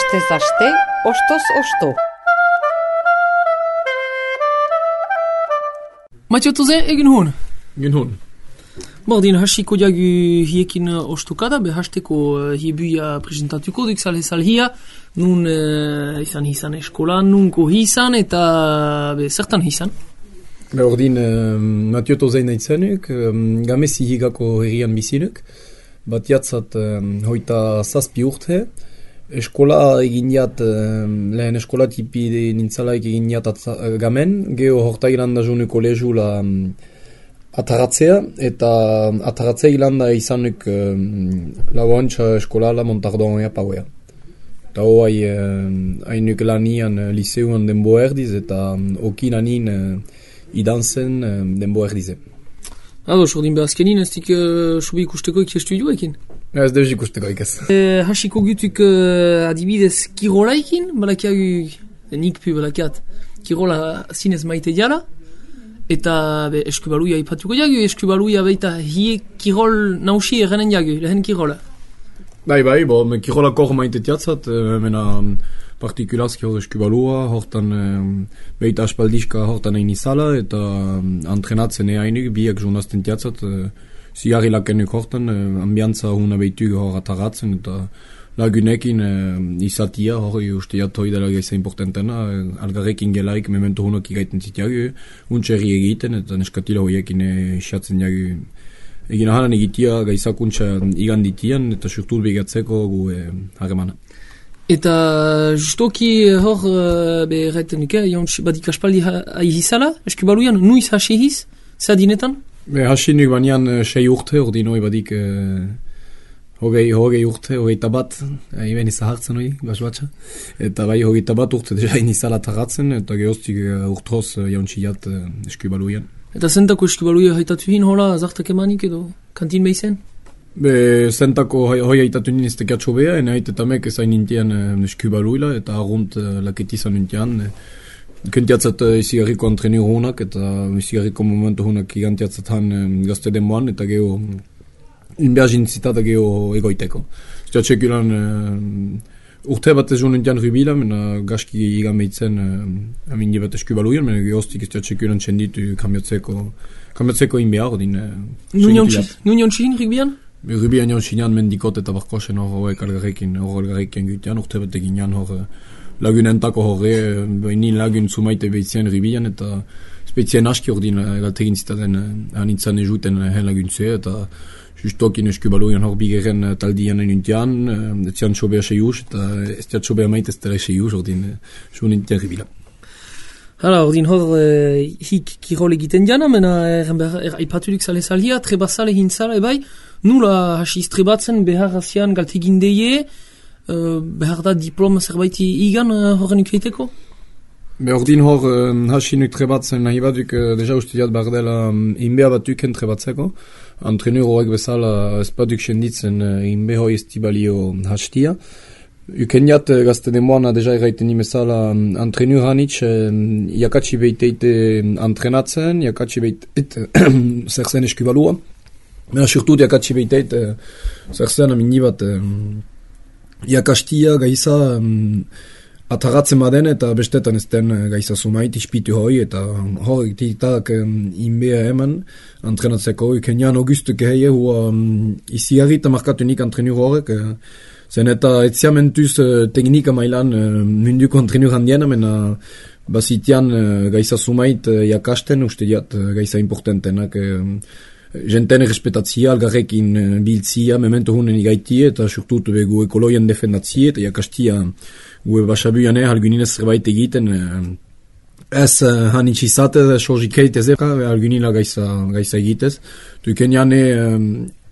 Astez aste, ostoz osto. Mathieu Toze, egin hon? Egin hon. Bordin hasiko diagu hiekin ostukada, hasteko hiebuia presentatuko duk sal hia, nun izan eskolan, nunko hisan eta zertan hisan. Ordin Mathieu Toze nahizenuk, gamesi higako herrian bizinuk, bat jatzat hoita zazpi urte, eskola egin jat, lehen eskola tipi nintzalaik egin jat gamen, geho horta ilanda jonu kolegula ataratzea, eta ataratzea ilanda izanuk lauantxa eskolala Montardon ea pauea. Eta hoai hainuk lanian liseuan denbo erdiz, eta okin anin idanzen denbo erdize. Ados, ordin behazkenin, ez dik sobi ikusteko ikestudioekin? Ez deus ikusteko ikaz. Hasiko gutuk adibidez kirolaikin, balakiagu nik pu balakiat kirola zinez maite diala, eta eskubaluia ipatuko diagu, eskubaluia baita hie kirol nausi errenen diagu, lehen kirola. Bai, kirolako hor maite tiatzat, mena partikulazki hor eskubalua, hortan beita aspaldiska hortan egin izala, eta antrenatzen eainik, biak journazten tiatzat, zigarri lakenuk hortan, ambiantza huna beitug hor ataratzen, eta lagunekin izatia hori usteat hori dela gaisa importantena, algarrekin gelaik memento hunok igaiten zitiagu, untxerri egiten, eta neskatila horiekin isatzen jagu. Egin ahanan egitia gaizakuntza iganditian, eta surtur begatzeko gu harremana. Eta justoki hor erraiten nuke, badik aspaldi ahizala, eskubaluian, nuiz hasihiz, zadinetan? Hasi nuk banean 6 urte, ordin hori badik hogei urte, hogeita bat, iben izahartzen hori, basbatxa. Eta bai hogeita bat urte, deja inizala tarratzen, eta gehoztik urtroz jauntxiat eskubaluian. Eta zentako eskubaluia haitatu hin hola, zartak emanik edo, kantin behizen? Zentako hoi haitatu nien ez tekiatxo beha, ene haitetamek ezain nintian eskubaluila, eta argunt laketizan nintian, kentiatzat izigarriko antrenio hunak, eta izigarriko momento hunak igantiatzatan gazte denboan, eta geho inbeazin zitata geho egoiteko. Ztiatxekulan urte bat ez nintian rubila, mena gaski igameitzen amindi bat eskubaluian, mena gehoztik ztiatxekulan txenditu kamiotzeko inbea ordin. Nunion txin rubian? Rubian jon xinan mendikot eta barkosen hor algarrekin gutian, urte bat eginan hor lagunentako horre, behin lagun zumaite behitzen rubian, eta spezian aski ordin galtegin zitaten anitzan ezuten hen laguntzea, eta justokin eskubaluian hor bigeren taldian nintian, etzian txobea seius, eta ez tiat txobea maite ez tere seius, ordin zu nintian ribila. Hala, ordin hor hik kirol egiten diana, mena aipaturik zale zalia, trebazale hintzala, ebai, nula hasiz trebatzen behar azian galtegin deie, behar da diploma zerbaiti igan horren ikeiteko? Ordin hor hasinuk trebatzen nahi baduk deja ustudiat behar dela inbea batuken trebatzeko. Antreneur horrek bezala ez baduk senditzen inbe hoi estibalio hastia. Ukeniat gazte demoana deja erraiten imezala antreneur hanitz jakatsi beiteite antrenatzen, jakatsi beiteite zerzen eskubalua. Mena surtut jakatsi beiteite zerzen amini bat jakastia gaisa ataratzen baden eta bestetan ez den gaisa sumait ispitu hoi eta hori titak inbea eman antrenatzeko ukenian augustuk heie hua iziarri eta markatu nik antreneur horrek zen eta etziamentuz teknika mailan munduko antreneur handiena mena bazitian gaisa sumait jakasten uste diat gaisa importantenak jenten respetatzia, algarrekin biltzia, memento hunen igaitie, eta surtut gu ekoloian defendatzie, eta jakastia gu basabuian alguninez zerbait egiten, ez hanitxizate, sorgikeite zeka, algunila gaisa egitez. Tukenian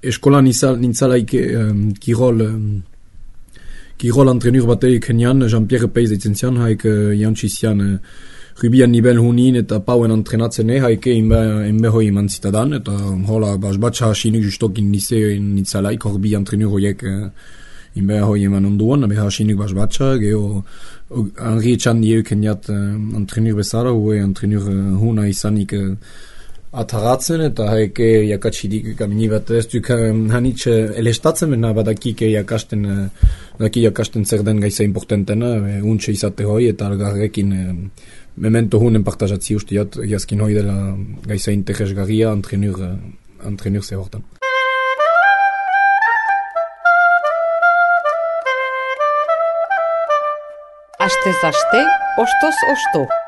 eskola nintzalaik kirol antrenur batei kenian, Jean-Pierre Peiz eitzen zian, haik jantxizian rubian nivel hunin eta pauen antrenatzen haike inbe hoi eman zitadan, eta hola basbatxa hasinuk justokin nintzalaik hor bi antrenur hoiek inbe hoi eman onduan, abe hasinuk basbatxa, geho Henri Etxan dieu keniat antrenur bezala, hue antrenur huna izanik ataratzen eta haike jakatxidik kamini bat ez duk hanitxe elestatzen bena badakik jakasten zer den gaiza importantena untxe izate hoi eta algarrekin memento hunen partajatzi ustiat jaskin hoi dela gaiza interesgarria antrenur ze hortan. Astez aste, ostoz osto.